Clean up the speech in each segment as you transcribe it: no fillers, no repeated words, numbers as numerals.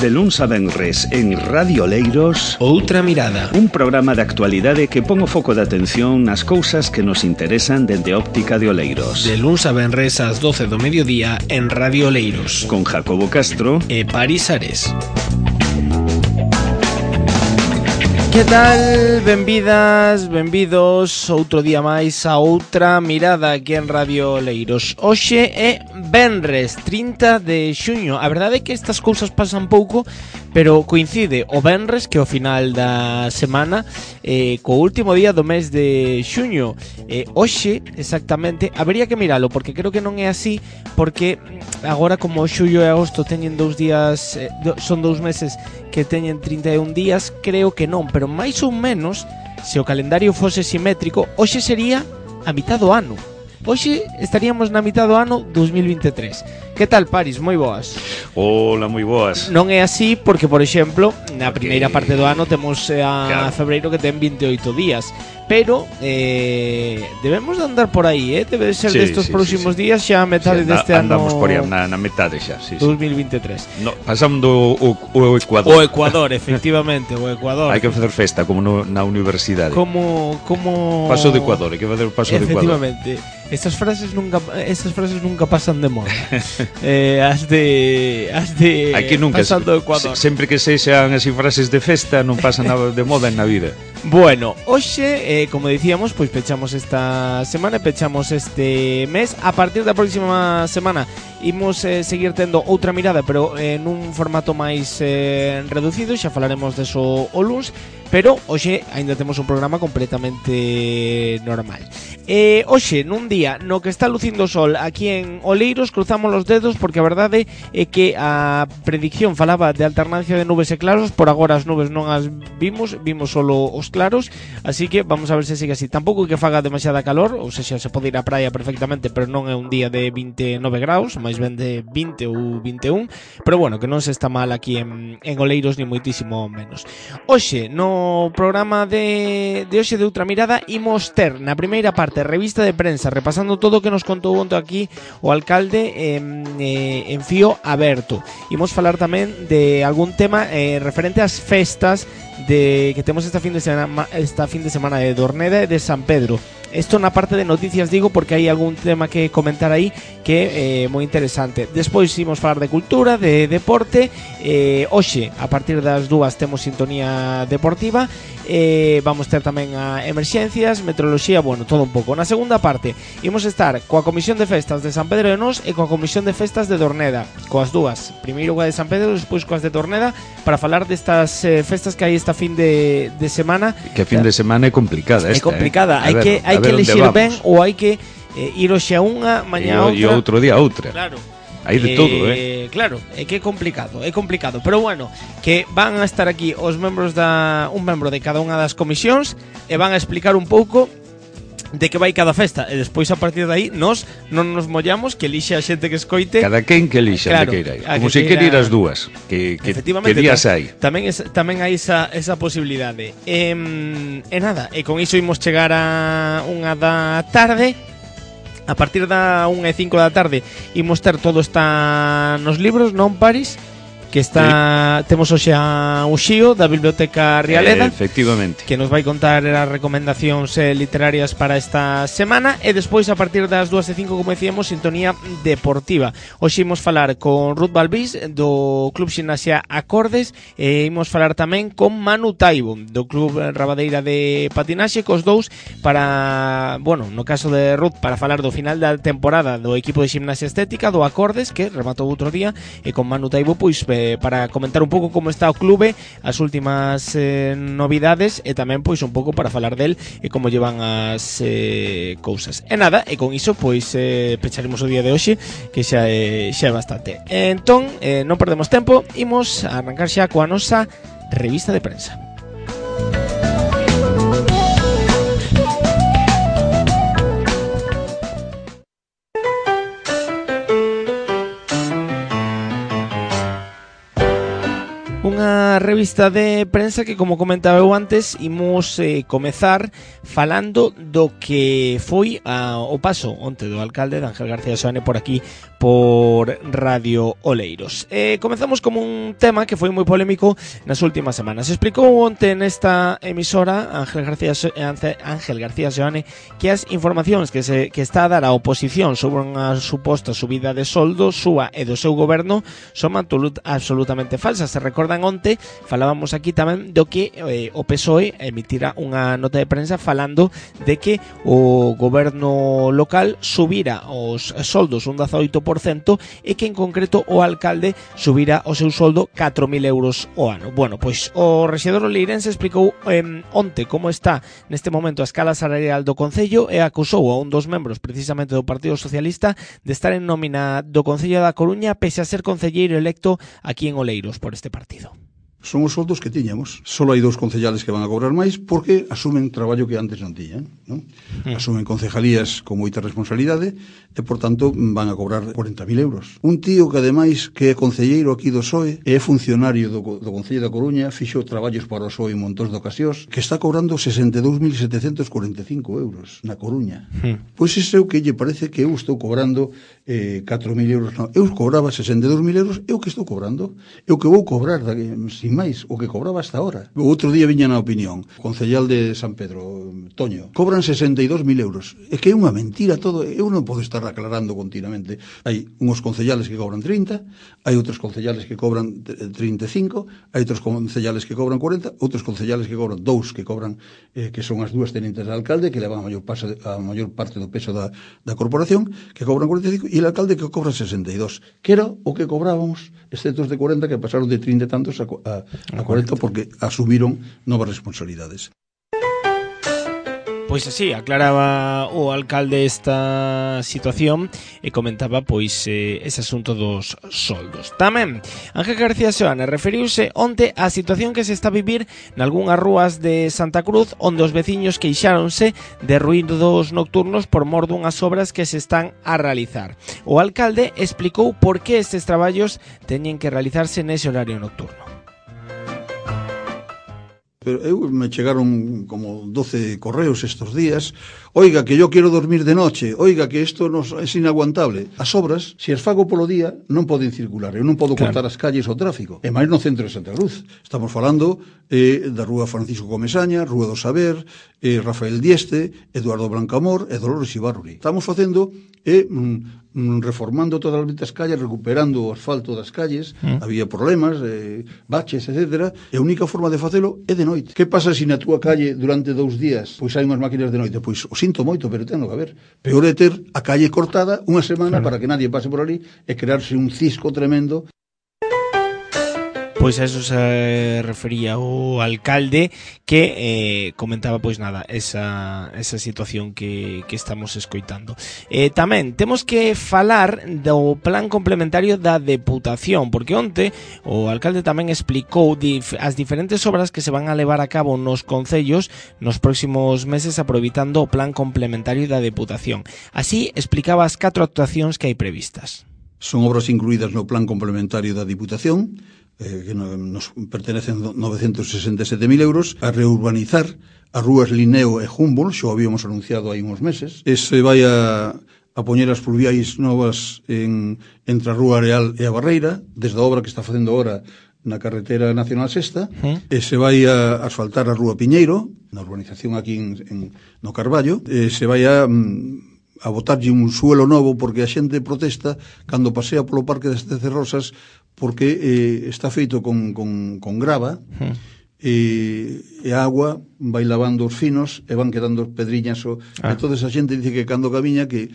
De luns a venres en Radio Oleiros, Outra Mirada, un programa de actualidade que pon o foco de atención nas cousas que nos interesan dende a óptica de Oleiros. de luns a venres ás 12 do mediodía en Radio Oleiros, Con Jacobo Castro e Paris Ares. Que tal? Benvidas, benvidos outro día máis a Outra Mirada aquí en Radio Oleiros. Hoxe é venres 30 de xuño. A verdade é que estas cousas pasan pouco, pero coincide o venres, que é o final da semana, co último día do mes de xuño. Hoxe, exactamente, habería que miralo, porque creo que non é así, porque agora como xullo e agosto teñen 2 días, son 2 meses que teñen 31 días, creo que non, pero máis ou menos, se o calendario fose simétrico, hoxe sería a mitad do ano. Hoxe estaríamos na mitad do ano 2023. Que tal, Paris? Moi boas. Hola, moi boas. Non é así porque, por exemplo, na primeira parte do ano temos a febreiro que ten 28 días. Pero debemos de andar por aí, debe de ser destes próximos días xa a metade deste ano. Andamos por aí na metade xa, 2023. No, pasando o Ecuador. O Ecuador, efectivamente, o Ecuador. Hai que facer festa como na universidade. Como Paso de Ecuador, hai que facer o paso de Ecuador. Efectivamente. Estas frases nunca pasan de moda. As de Aquí nunca, pasando o Ecuador. Sempre que sexan así frases de festa non pasa nada de moda na vida. Bueno, hoxe, como dicíamos, pois pechamos esta semana, pechamos este mes. A partir da próxima semana imos seguir tendo Outra Mirada, pero nun formato máis reducido. Xa falaremos deso o luns, pero hoxe aínda temos un programa completamente normal. Hoxe, nun día no que está lucindo o sol aquí en Oleiros, cruzamos os dedos porque a verdade é que a predicción falaba de alternancia de nubes e claros. Por agora as nubes non as vimos solo os claros, así que vamos a ver se sigue así. Tampouco é que faga demasiada calor, ou seja, se pode ir á praia perfectamente, pero non é un día de 29 graus, máis ben de 20 ou 21, pero bueno, que non se está mal aquí en Oleiros ni moitísimo menos. Hoxe, no programa de hoxe de Outra Mirada, imos ter na primeira parte revista de prensa, repasando todo o que nos contou onte aquí o alcalde en fío aberto. Imos falar tamén de algún tema referente ás festas que temos esta fin de semana de Dorneda e de San Pedro. Isto na parte de noticias digo porque hai algún tema que comentar aí que é moi interesante. Despois imos falar de cultura, de deporte. Hoxe, a partir das 2 temos sintonía deportiva. Vamos ter tamén a emerxencias, meteoroloxía, bueno, todo un pouco. Na segunda parte imos estar coa Comisión de Festas de San Pedro de Nós e coa Comisión de Festas de Dorneda, coas dúas, primeiro coa de San Pedro, despois coas de Dorneda, para falar destas festas que hai esta fin de semana. Que fin de semana é complicada esta. É complicada, hai que elexir ben ou hai que ir hoxe a unha, mañá a outra. E outro día a outra. Claro. Hai de todo, Claro, é que é complicado, pero bueno, que van a estar aquí os membros un membro de cada unha das comisións e van a explicar un pouco de que vai cada festa, e despois a partir de aí nós non nos mollamos, que elixe a xente que escoite. Cada quen que elixe, claro, de que ir. Como se quere ir as dúas, que días hai. Tamén hai esa posibilidade. E nada, e con iso imos chegar a unha da tarde. A partir da 1:05 da tarde imos ter todo está nos libros, non, Paris? Que está, temos hoxe a Uxío da Biblioteca Rialeda, efectivamente, que nos vai contar as recomendacións literarias para esta semana. E despois a partir das 2:05, como decíamos, sintonía deportiva. Hoxe imos falar con Ruth Balbís do Club Ximnasia Acordes, e imos falar tamén con Manu Taibo do Club Rabadeira de Patinaxe, cos dous para, bueno, no caso de Ruth, para falar do final da temporada do equipo de Ximnasia Estética do Acordes, que rematou outro día, e con Manu Taibo pois para comentar un pouco como está o clube, as últimas novidades, e tamén pois un pouco para falar del e como llevan as cousas. E nada, e con iso pois pecharemos o día de hoxe, que xa é bastante. Entón, non perdemos tempo, imos a arrancar xa coa nosa revista de prensa. unha revista de prensa que, como comentaba eu antes, imos comezar falando do que foi o paso onte do alcalde de Ángel García Seoane por aquí, por Radio Oleiros. Comezamos con un tema que foi moi polémico nas últimas semanas. Explicou onte nesta emisora Ángel García Seoane que as informacións que está a dar a oposición sobre unha suposta subida de soldo súa e do seu goberno son absolutamente falsas. Se recordan onte, falábamos aquí tamén do que o PSOE emitira unha nota de prensa falando de que o goberno local subira os soldos un 18% e que en concreto o alcalde subira o seu soldo 4.000 euros o ano. Bueno, pois o rexedor oleirense explicou onte como está neste momento a escala salarial do Concello e acusou a un dos membros precisamente do Partido Socialista de estar en nómina do Concello da Coruña pese a ser concelleiro electo aquí en Oleiros por este partido. Son os soldos que tiñamos. Solo hai 2 concellales que van a cobrar máis porque asumen traballo que antes non tiñan, non? Asumen concejalías con moita responsabilidade e, por tanto, van a cobrar 40.000 euros. Un tío que, ademais, que é concelleiro aquí do PSOE, é funcionario do Concello da Coruña, fixo traballos para o PSOE en montón de ocasións, que está cobrando 62.745 euros na Coruña. Pois iso é o que lle parece que eu estou cobrando 4.000 euros. Non, eu cobraba 62.000 euros, eu que estou cobrando? Eu que vou cobrar, sin máis, o que cobraba hasta ahora. O outro día viña na opinión, o concellal de San Pedro, Toño, cobran 62.000 euros. É que é unha mentira todo, eu non podo estar aclarando continuamente. Hai uns concellales que cobran 30, hai outros concellales que cobran 35, hai outros concellales que cobran 40, outros concellales que cobran 2, que cobran, que son as 2 tenentes de alcalde, que levan a maior parte do peso da corporación, que cobran 45, e o alcalde que cobra 62, que era o que cobrábamos, exceptos de 40, que pasaron de 30 e tantos a 40 porque asumiron novas responsabilidades. Pois así, aclaraba o alcalde esta situación e comentaba pois ese asunto dos soldos. Tamén, Ángel García Seoane referiuse onte á situación que se está a vivir nalgúnas rúas de Santa Cruz onde os veciños queixáronse de ruídos nocturnos por mor dunhas obras que se están a realizar. O alcalde explicou por que estes traballos teñen que realizarse nese horario nocturno. Pero me chegaron como 12 correos estos días. Oiga, que yo quiero dormir de noche. Oiga, que isto es inaguantable. As obras, se as fago polo día, non poden circular. Eu non podo cortar as calles ao tráfico. E máis no centro de Santa Cruz. Estamos falando da Rúa Francisco Comesaña, Rúa do Saber, Rafael Dieste, Eduardo Blancamor e Dolores Ibarruri. Estamos facendo reformando todas as calles, recuperando o asfalto das calles. Había problemas, baches, etc. E a única forma de facelo é de noite. Que pasa se na túa calle durante 2 días pois hai unhas máquinas de noite? Pois o sinto moito, pero ten que haber. Peor é ter a calle cortada unha semana para que nadie pase por ali e crearse un cisco tremendo. Pois a eso se refería o alcalde que comentaba pois nada esa situación que estamos escoitando. Tamén temos que falar do plan complementario da Deputación, porque onte o alcalde tamén explicou as diferentes obras que se van a levar a cabo nos concellos nos próximos meses aproveitando o plan complementario da Deputación. Así explicaba as 4 actuacións que hai previstas. Son obras incluídas no plan complementario da Diputación, que nos pertenecen 967.000 euros, a reurbanizar as rúas Linneo e Humboldt, xo habíamos anunciado hai uns meses, e se vai a poñer as fluviais novas entre a Rúa Areal e a Barreira, desde a obra que está facendo agora na carretera nacional sexta, e se vai a asfaltar a Rúa Piñeiro, na urbanización aquí no Carballo, e se vai a botarlle un suelo novo porque a xente protesta cando pasea polo Parque das Tecerrosas porque está feito con grava e a agua vai lavando os finos e van quedando pedriñas e toda esa xente dice que cando camiña que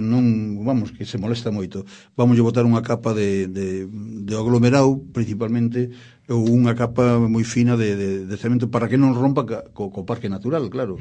non, vamos, que se molesta moito. Vamos a botar unha capa de aglomerado principalmente ou unha capa moi fina de cemento para que non rompa co parque natural, claro.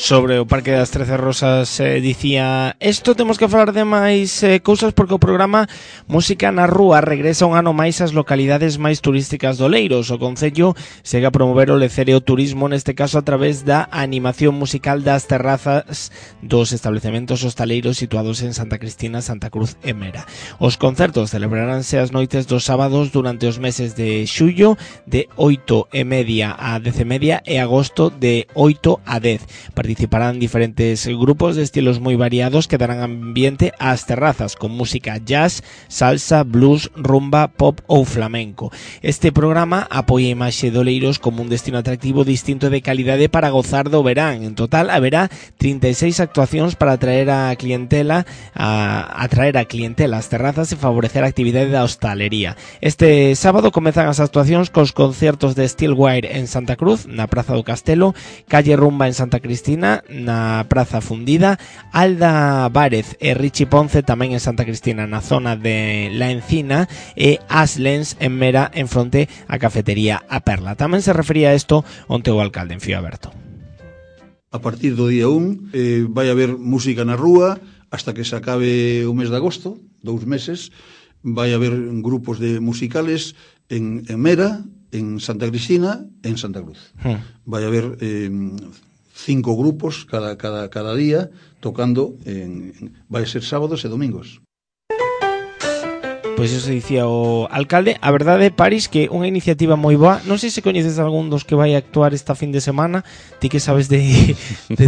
Sobre o Parque das 13 Rosas dicía esto, temos que falar de máis cousas porque o programa Música na Rúa regresa un ano máis ás localidades máis turísticas do Oleiros. O Concello segue a promover o lecereo turismo, neste caso a través da animación musical das terrazas dos establecementos hostaleiros situados en Santa Cristina, Santa Cruz e Mera. Os concertos celebraránse as noites dos sábados durante os meses de xullo de 8:30 a 10:30 e agosto de 8 a 10. Participarán diferentes grupos de estilos moi variados que darán ambiente ás terrazas con música jazz, salsa, blues, rumba, pop ou flamenco. Este programa apoia a imaxe de Oleiros como un destino atractivo distinto e de calidade para gozar do verán. En total haberá 36 actuacións para atraer a clientela ás terrazas e favorecer a actividade da hostalería. Este sábado comezan as actuacións cos concertos de Steelwire en Santa Cruz, na Praza do Castelo, Calle Rumba en Santa Cristina, na Praza Fundida, Alda Várez e Richie Ponce tamén en Santa Cristina, na zona de La Encina, e Aslens en Mera, en fronte á cafetería A Perla. Tamén se refería a isto onte o alcalde en Fío Aberto. A partir do día 1 vai haber música na rúa hasta que se acabe o mes de agosto, 2 meses. Vai haber grupos de musicales en Mera, en Santa Cristina, en Santa Cruz. Vai haber 5 grupos cada día tocando vai ser sábados e domingos. Pois eso dicía o alcalde. A verdade, Paris, que unha iniciativa moi boa. Non sei se coñeces algún dos que vai actuar esta fin de semana. Ti que sabes de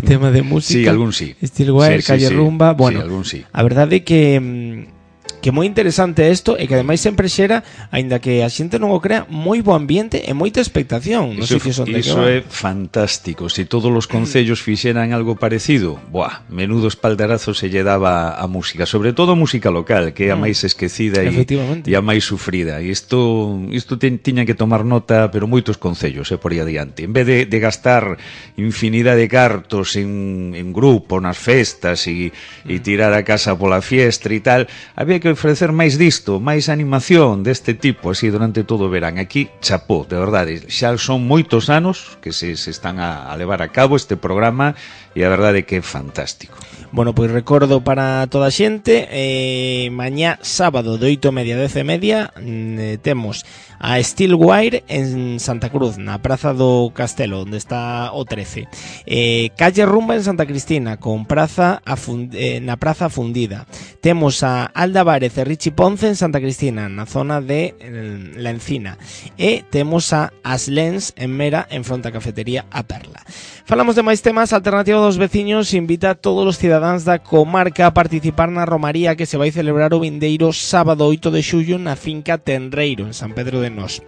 tema de música. Sí, algún sí. Steelwire, sí, Calle Rumba. Bueno, sí, algún sí. A verdade que moi interesante isto e que ademais sempre xera, aínda que a xente non o crea, moi bo ambiente e moita expectación. Non sei que son de que iso é fantástico. Se todos os concellos fixeran algo parecido, menudo espaldarazo se lle daba a música, sobre todo a música local, que é a máis esquecida e a máis sufrida. E isto tiñan que tomar nota, pero moitos concellos por aí adiante. En vez de gastar infinidade de cartos en grupo, nas festas e tirar a casa pola fiestra e tal, había que ofrecer máis disto, máis animación deste tipo, así durante todo o verán. Aquí, chapó, de verdade, xa son moitos anos que se están a levar a cabo este programa e a verdade que é fantástico. Bueno, pois recordo para toda a xente, mañá sábado de 8:30 a 10:30 temos a Steelwire en Santa Cruz, na Praza do Castelo, onde está o 13. Calle Rumba en Santa Cristina, con na Praza Fundida. Temos a Alda Várez e Richie Ponce en Santa Cristina, na zona de La Encina. E temos a Aslens en Mera, en fronte á cafetería A Perla. Falamos de máis temas. Alternativa dos Veciños invita a todos os cidadáns da comarca a participar na romaría que se vai celebrar o vindeiro sábado 8 de xullo na finca Tenreiro, en San Pedro de Nós.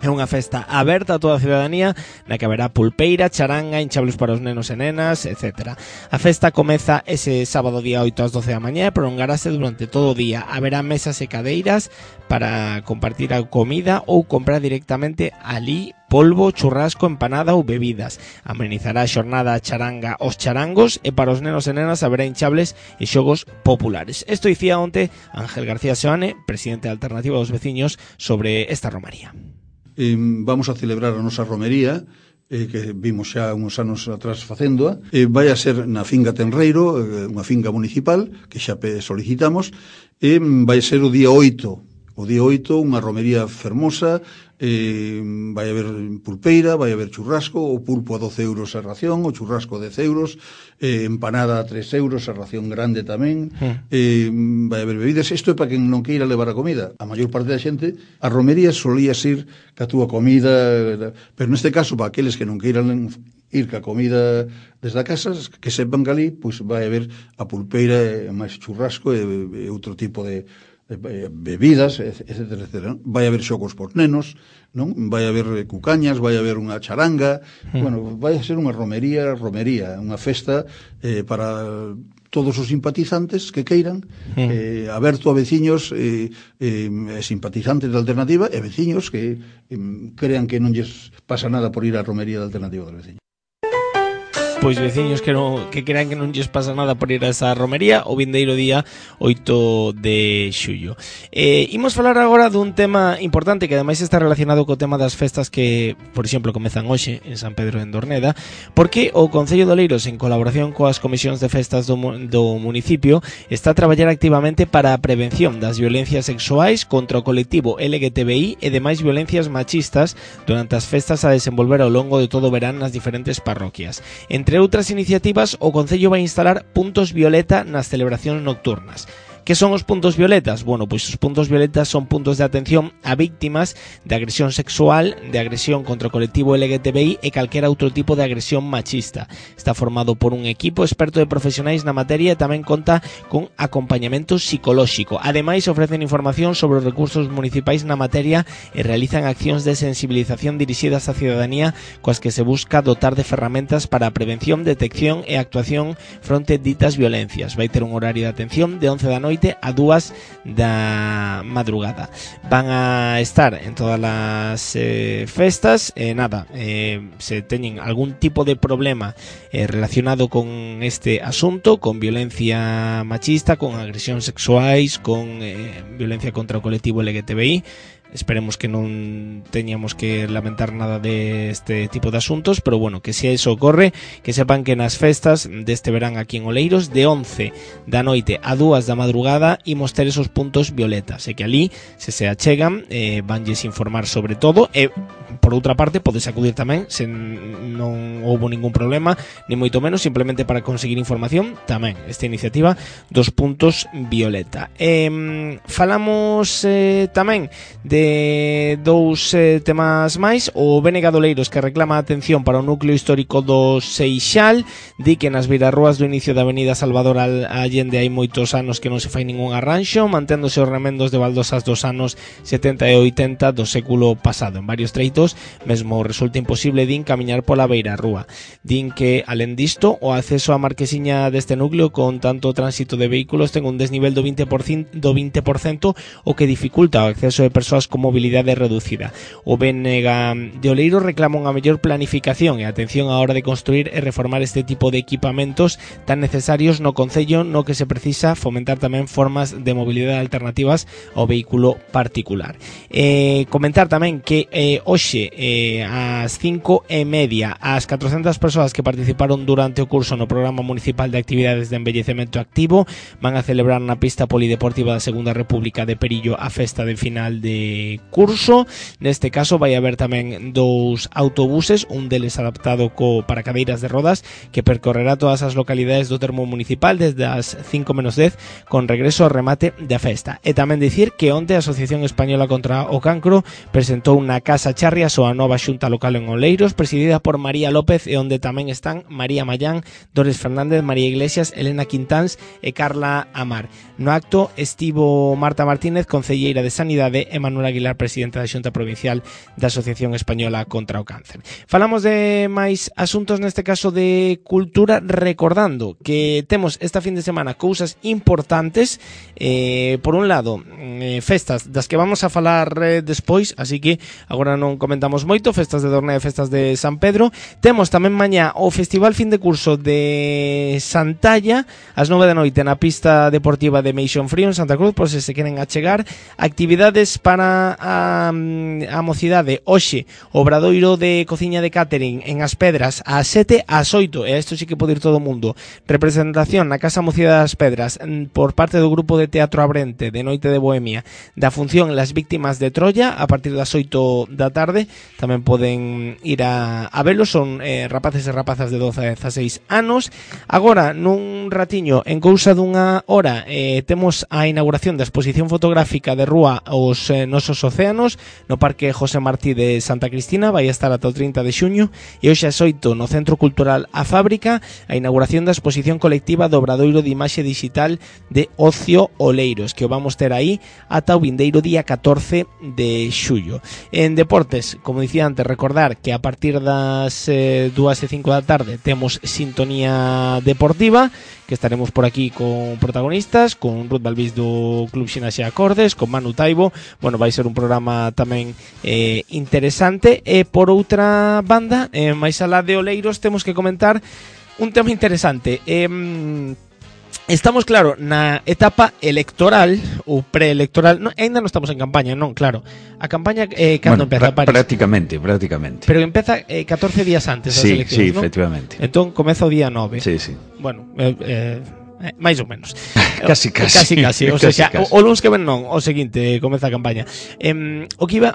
É unha festa aberta a toda a ciudadanía na que haberá pulpeira, charanga, hinchables para os nenos e nenas, etc. A festa comeza ese sábado día 8 ás 12 da mañá e prolongarase durante todo o día. Haberá mesas e cadeiras para compartir a comida ou comprar directamente ali polvo, churrasco, empanada ou bebidas. Amenizará a xornada a charanga os charangos e para os nenos e nenas haberá hinchables e xogos populares. Isto dicía onte Ángel García Seoane, presidente da Alternativa dos Veciños, sobre esta romaría. Vamos a celebrar a nosa romería, que vimos xa uns anos atrás facéndoa. Vai a ser na finca Tenreiro, unha finca municipal, que xa solicitamos, e vai ser o día 8. O día 8, unha romería fermosa, vai haber pulpeira, vai haber churrasco, o pulpo a 12 euros a ración, o churrasco a 10 euros, empanada a 3 euros, a ración grande tamén, vai haber bebidas. Isto é para quen non queira levar a comida. A maior parte da xente, a romería solía ir ca túa comida, pero neste caso, para aqueles que non queiran ir ca comida desde a casa, que sepan que ali, pois vai haber a pulpeira, máis churrasco e outro tipo de bebidas, etcétera, etcétera. Vai haber xogos por nenos, non? Vai haber cucañas, vai haber unha charanga. Bueno, vai a ser unha romería, unha festa para todos os simpatizantes que queiran, aberto a veciños simpatizantes da Alternativa e veciños que crean que non lles pasa nada por ir á romería da Alternativa dos Veciños. pois veciños que crean que non lles pasa nada por ir a esa romería o vindeiro día 8 de xullo. Imos falar agora dun tema importante que ademais está relacionado co tema das festas que, por exemplo, comezan hoxe en San Pedro en Dorneda, porque o Concello de Oleiros, en colaboración coas comisións de festas do municipio, está a traballar activamente para a prevención das violencias sexuais contra o colectivo LGTBI e demais violencias machistas durante as festas a desenvolver ao longo de todo o verán nas diferentes parroquias. Entre outras iniciativas, o Concello vai instalar puntos violeta nas celebracións nocturnas. Que son os puntos violetas? Bueno, pois os puntos violetas son puntos de atención a víctimas de agresión sexual, de agresión contra o colectivo LGTBI e calquera outro tipo de agresión machista. Está formado por un equipo experto de profesionais na materia e tamén conta con acompañamento psicolóxico. Ademais, ofrecen información sobre os recursos municipais na materia e realizan accións de sensibilización dirixidas á cidadanía coas que se busca dotar de ferramentas para a prevención, detección e actuación fronte ditas violencias. Vai ter un horario de atención de 11 da noite a 2 da madrugada. Van a estar en todas as festas se teñen algún tipo de problema relacionado con este asunto, con violencia machista, con agresión sexuais, con violencia contra o colectivo LGTBI. Esperemos que non teñamos que lamentar nada de este tipo de asuntos, pero bueno, que se eso ocorre, que sepan que nas festas deste verán aquí en Oleiros, de 11 da noite a 2 da madrugada, imos ter esos puntos violetas, e que ali, se achegan, vanlles informar sobre todo, e por outra parte, podes acudir tamén, se non houbo ningún problema, ni moito menos, simplemente para conseguir información, tamén, esta iniciativa dos puntos violeta. Falamos tamén de dous temas máis. O BNG de Oleiros, que reclama atención para o núcleo histórico do Seixal, di que nas beirarrúas do inicio da avenida Salvador Allende hai moitos anos que non se fai ningún arranxo, manténdose os remendos de baldosas dos anos 70 e 80 do século pasado. En varios treitos mesmo resulta imposible, din, camiñar pola beirarrúa. Din que, alén disto, o acceso á marquesiña deste núcleo con tanto tránsito de vehículos ten un desnivel do 20%, o que dificulta o acceso de persoas con mobilidade reducida. O BNG de Oleiros reclama unha mellor planificación e atención á hora de construir e reformar este tipo de equipamentos tan necesarios no concello, no que se precisa fomentar tamén formas de mobilidade alternativas ao vehículo particular. Comentar tamén que hoxe ás 5:30 as 400 persoas que participaron durante o curso no Programa Municipal de Actividades de Envellecemento Activo van a celebrar na pista polideportiva da Segunda República de Perillo a festa de final de curso. Neste caso vai haber tamén dous autobuses, un deles adaptado para cadeiras de rodas, que percorrerá todas as localidades do termo municipal desde as 5:10 con regreso ao remate da festa. E tamén dicir que onte a Asociación Española contra o Cancro presentou na Casa Charria a súa nova xunta local en Oleiros, presidida por María López, e onde tamén están María Mayán, Dores Fernández, María Iglesias, Elena Quintáns e Carla Amar. No acto estivo Marta Martínez, concelleira de Sanidade, e Manuel Aguilar, presidente da Xunta Provincial da Asociación Española contra o Cáncer. Falamos de máis asuntos, neste caso de cultura, recordando que temos esta fin de semana cousas importantes. Por un lado, festas das que vamos a falar despois, así que agora non comentamos moito, festas de Dorneda e festas de San Pedro. Temos tamén mañá o Festival Fin de Curso de Santalla, ás 9 da noite na pista deportiva de Meixón Frío en Santa Cruz, por se queren achegar. Actividades para a mocidade: hoxe, obradoiro de cociña de catering en As Pedras ás 7 ás 8, e a isto sí que pode ir todo o mundo. Representación na Casa Mocidade das Pedras por parte do grupo de teatro Abrente de Noite de Bohemia da función Las Víctimas de Troya a partir das 8 da tarde. Tamén poden ir a velos, son rapaces e rapazas de 12 a 16 anos. Agora, nun ratiño, en cousa dunha hora, temos a inauguración da exposición fotográfica de rúa Os Nosos Océanos no Parque José Martí de Santa Cristina. Vai estar ata o 30 de xuño. E hoxe ás 8 no Centro Cultural A Fábrica, a inauguración da exposición colectiva do Obradoiro de Imaxe Digital de Ocio Oleiros, que o vamos ter aí ata o vindeiro día 14 de xullo. En deportes, como dicía antes, recordar que a partir das 2:05 da tarde temos Sintonía Deportiva, que estaremos por aquí con protagonistas, con Ruth Balbís do Club Xinaxe Acordes, con Manu Taibo. Bueno, vai ser un programa tamén interesante. E por outra banda, máis alá de Oleiros, temos que comentar un tema interesante. Estamos, claro, na etapa electoral ou preelectoral. Ainda non estamos en campaña, non, claro. A campaña cando empeza París? Prácticamente. Pero empeza 14 días antes das eleccións, sí, non? Efectivamente. Entón comeza o día 9. Sí. Bueno, máis ou menos. Casi. O sea, o luns que ven non, o seguinte comeza a campaña. O que iba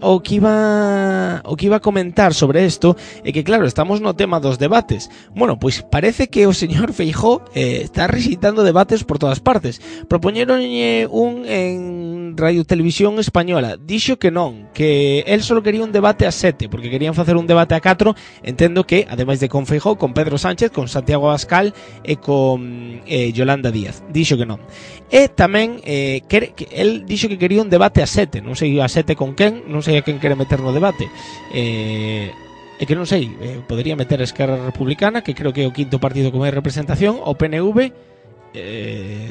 a comentar sobre isto é que, claro, estamos no tema dos debates. Bueno, pois parece que o señor Feijóo está rexeitando debates por todas partes. Propoñeronlle un en Radio Televisión Española. Dixo que non, que él só quería un debate a 7, porque querían facer un debate a 4. Entendo que, ademais de con Feijóo, con Pedro Sánchez, con Santiago Abascal e con Yolanda Díaz. Dixo que non. E tamén que el dixo que quería un debate a 7. Non sei a 7 con quen, non sei a quen quere meter no debate. E que non sei, podería meter a Esquerra Republicana, que creo que é o quinto partido con máis representación, o PNV,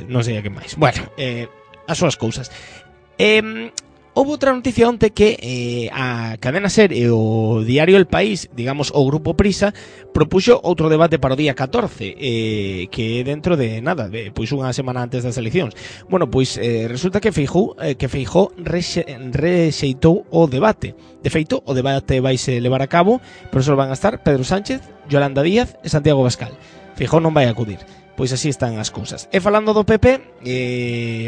non sei a quen máis. Bueno, as súas cousas. Houve outra noticia onte que a Cadena Ser e o diario El País, digamos o Grupo Prisa, propuxo outro debate para o día 14, que é dentro de nada, pois unha semana antes das eleccións. Bueno, pois resulta que Feijóo rexeitou o debate. De feito, o debate vaise levar a cabo, pero só van a estar Pedro Sánchez, Yolanda Díaz e Santiago Abascal. Feijóo non vai acudir. Pois así están as cousas. E falando do PP,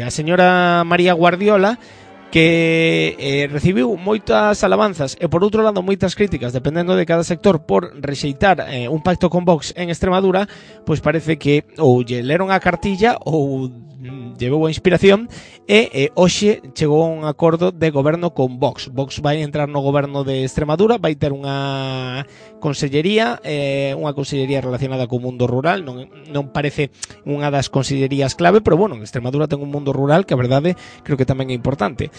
a señora María Guardiola, que recibiu moitas alabanzas e por outro lado moitas críticas dependendo de cada sector por rexeitar un pacto con Vox en Extremadura, pois parece que ou lle leron a cartilla ou llevou a inspiración e hoxe chegou a un acordo de goberno con Vox. Vox vai entrar no goberno de Extremadura, vai ter unha consellería relacionada co mundo rural, non parece unha das consellerías clave, pero bueno, en Extremadura ten un mundo rural que a verdade creo que tamén é importante.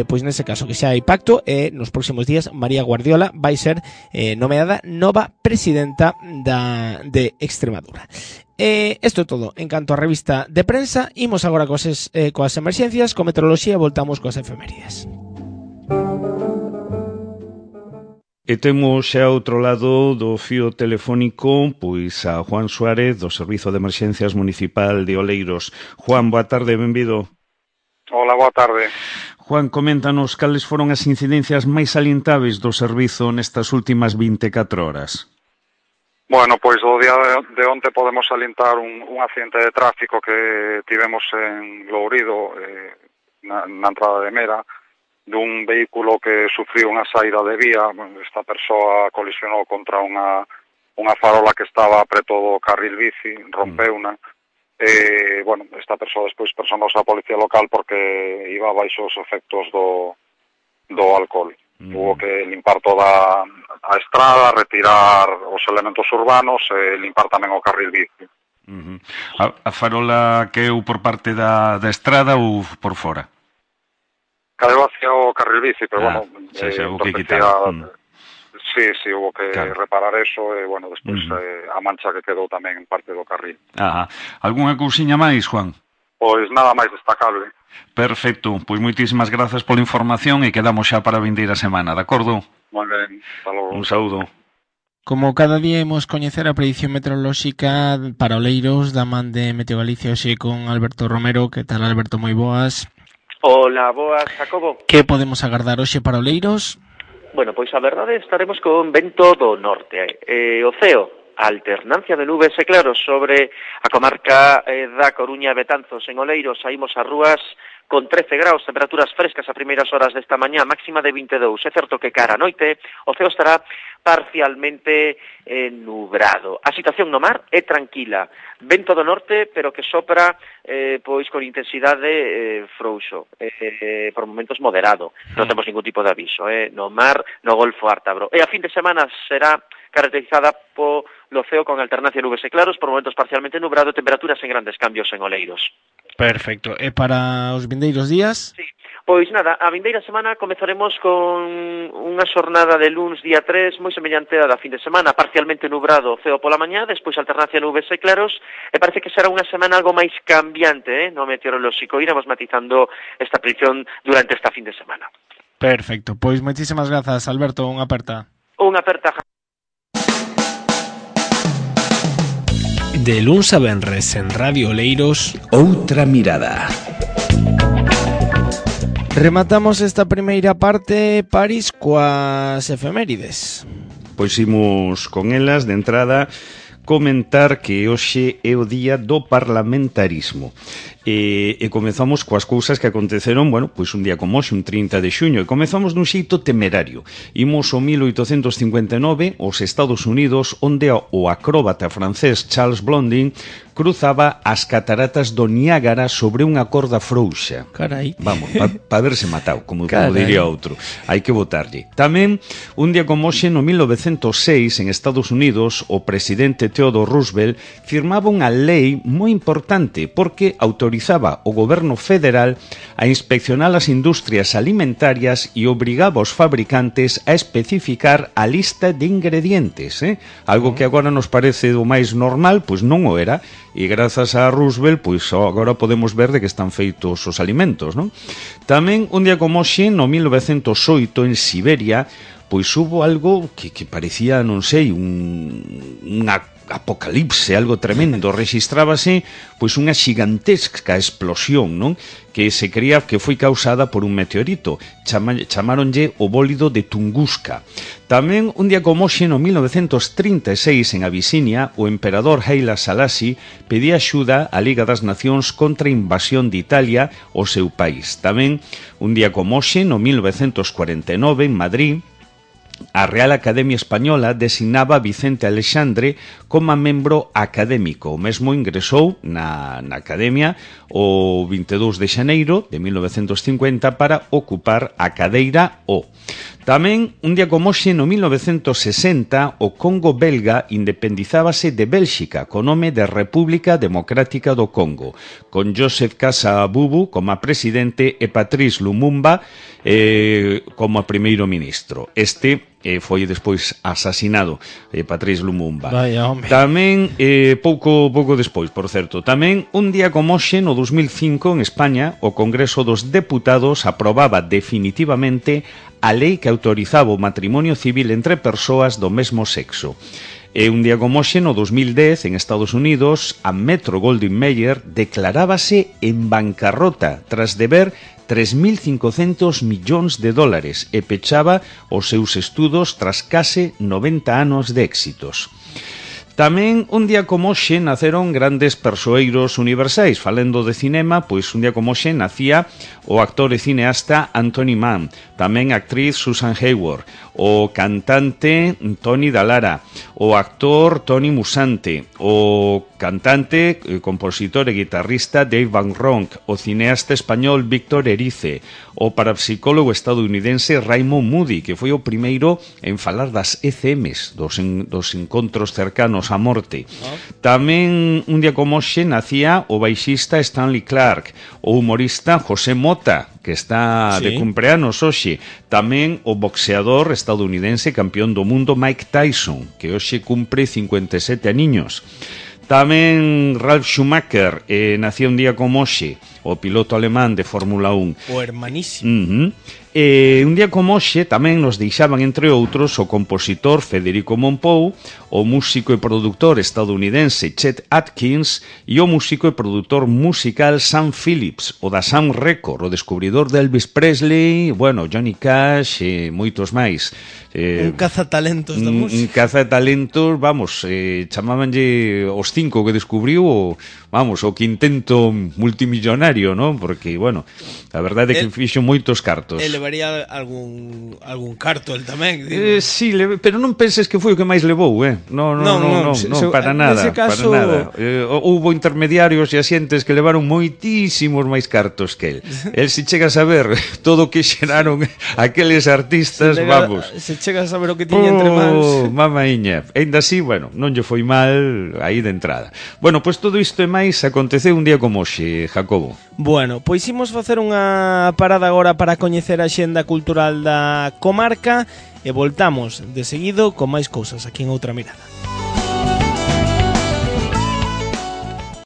Pois nese caso que xa hai pacto e nos próximos días María Guardiola vai ser nomeada nova presidenta de Extremadura. Isto é todo en canto a revista de prensa. Imos agora coas emerxencias, con meteoroloxía, voltamos coas efemérides. E temos xa outro lado do fío telefónico pois a Juan Suárez do Servizo de Emerxencias Municipal de Oleiros. Juan, boa tarde, benvido. Hola, boa tarde. Juan, coméntanos cales foron as incidencias máis salientáveis do servizo nestas últimas 24 horas. Bueno, pois o día de onte podemos salientar un accidente de tráfico que tivemos en Lourido, na entrada de Mera, dun vehículo que sufriu unha saída de vía. Esta persoa colisionou contra unha farola que estaba preto do carril bici, rompeuna. Bueno, esta persoa despois personouse a policía local porque iba baixo os efectos do alcohol. Hubo que limpar toda a estrada, retirar os elementos urbanos e limpar tamén o carril bici. A farola caeu por parte da estrada ou por fora? Caeu hacia o carril bici, pero bueno, hubo que quitar. Sí, hubo que reparar eso e, bueno, despois a mancha que quedou tamén en parte do carril. Algúnha cousiña máis, Juan? Pois nada máis destacable. Perfecto, pois moitísimas grazas pola información e quedamos xa para a vindeira semana, de acordo? Moi ben, hasta logo. Un saúdo. Como cada día imos coñecer a predición meteorolóxica para Oleiros da man de Meteo Galicia hoxe con Alberto Romero. Que tal, Alberto? Moi boas. Hola, boas, Jacobo. Que podemos agardar hoxe para Oleiros? Bueno, pois a verdade estaremos con vento do norte. O ceo, alternancia de nubes e claros sobre a comarca da Coruña e Betanzos. En Oleiros saímos ás rúas con 13 graus, temperaturas frescas a primeiras horas desta mañá, máxima de 22. É certo que cara a noite o ceo estará parcialmente nubrado. A situación no mar é tranquila. Vento do norte, pero que sopra pois con intensidade frouxo, por momentos moderado. Non temos ningún tipo de aviso, no mar, no Golfo Ártabro. E a fin de semana será caracterizada polo ceo con alternancia de nubes e claros, por momentos parcialmente nubrado, temperaturas en grandes cambios en Oleiros. Perfecto. E para os vindeiros días? Sí. Pois nada, a vindeira semana comezaremos con unha xornada de luns día 3 moi semellante a da fin de semana, parcialmente nubrado o ceo pola mañá, despois alternancia nubes e claros, e parece que será unha semana algo máis cambiante, no meteorolóxico. Iremos matizando esta predicción durante esta fin de semana. Perfecto, pois moitísimas grazas, Alberto, unha aperta. Unha aperta. De luns a venres en Radio Oleiros, Outra Mirada. Rematamos esta primeira parte, París, coas efemérides. Pois imos con elas de entrada comentar que hoxe é o día do parlamentarismo. E comezamos coas cousas que aconteceron, bueno, pois un día como hoxe, un 30 de xuño, e comezamos dun xeito temerario. Imos ao 1859, aos Estados Unidos, onde o acróbata francés Charles Blondin cruzaba as cataratas do Niágara sobre unha corda frouxa. Carai. Vamos, pa verse matado, como diría outro. Hai que botarlle. Tamén, un día como hoxe, no 1906, en Estados Unidos, o presidente Theodore Roosevelt firmaba unha lei moi importante porque autorizaba o goberno federal a inspeccionar as industrias alimentarias e obrigaba aos fabricantes a especificar a lista de ingredientes, algo que agora nos parece o máis normal, pois non o era, e grazas a Roosevelt, pois agora podemos ver de que están feitos os alimentos, non? Tamén, un día como hoxe, no 1908, en Siberia, pois hubo algo que parecía, non sei, unha apocalipse, algo tremendo. Rexistrábase pois unha xigantesca explosión, non? Que se cría que foi causada por un meteorito. Chamáronlle o bólido de Tunguska. Tamén, un día como hoxe, no 1936, en Abisinia, o emperador Haile Selassie pedía axuda á Liga das Nacións contra a invasión de Italia ao seu país. Tamén, un día como hoxe, no 1949, en Madrid, a Real Academia Española designaba a Vicente Alexandre como membro académico. O mesmo ingresou na Academia o 22 de xaneiro de 1950 para ocupar a cadeira O. Tamén, un día como hoxe, no 1960, o Congo belga independizábase de Bélxica co nome de República Democrática do Congo, con Joseph Kasavubu como presidente e Patrice Lumumba como primeiro ministro. Este foi despois asasinado, Patrice Lumumba. Vaya, home. Tamén, pouco despois, por certo, tamén un día como hoxe, no 2005, en España, o Congreso dos Deputados aprobaba definitivamente a lei que autorizaba o matrimonio civil entre persoas do mesmo sexo. E un día como hoxe, no 2010, en Estados Unidos, a Metro-Goldwyn-Mayer declarábase en bancarrota tras deber 3.500 millóns de dólares e pechaba os seus estudos tras case 90 anos de éxitos. Tamén, un día como hoxe, naceron grandes persoeiros universais. Falando de cinema, pois un día como hoxe nacía o actor e cineasta Anthony Mann, tamén a actriz Susan Hayward, o cantante Tony Dallara, o actor Tony Musante, o cantante, compositor e guitarrista Dave Van Ronk, o cineasta español Víctor Erice, o parapsicólogo estadounidense Raymond Moody, que foi o primeiro en falar das ECMs, dos encontros cercanos á morte. Tamén, un día como hoxe, nacía o baixista Stanley Clarke, o humorista José Mota, que está de cumpleanos hoxe. Tamén o boxeador estadounidense campeón do mundo Mike Tyson, que hoxe cumpre 57 aniños. Tamén Ralf Schumacher, nacía un día como hoxe, o piloto alemán de Fórmula 1. O hermanísimo. Un día como hoxe tamén nos deixaban, entre outros, o compositor Federico Mompou, o músico e produtor estadounidense Chet Atkins e o músico e produtor musical Sam Phillips, o da Sam Record, o descubridor de Elvis Presley, bueno, Johnny Cash e moitos máis. Un cazatalentos da música. Un cazatalentos, vamos, chamábanlle os 5 que descubriu o quintento multimillonario, non? Porque, bueno, a verdade é que fixo moitos cartos. E levaría algún carto el tamén. Sí, pero non penses que foi o que máis levou, Non, para nada, caso... para nada. Houbo intermediarios e asientes que levaron moitísimos máis cartos que el. El, se chegas a ver todo o que xeraron aqueles artistas, vamos. Se chegas a ver o que tiña entre mans. Mamaíña. Ainda así, bueno, non lle foi mal aí de entrada. Bueno, pois todo isto e máis aconteceu un día como hoxe, Jacobo. Bueno, pois imos facer unha parada agora para coñecer a xenda cultural da comarca e voltamos de seguido con máis cousas aquí en Outra Mirada.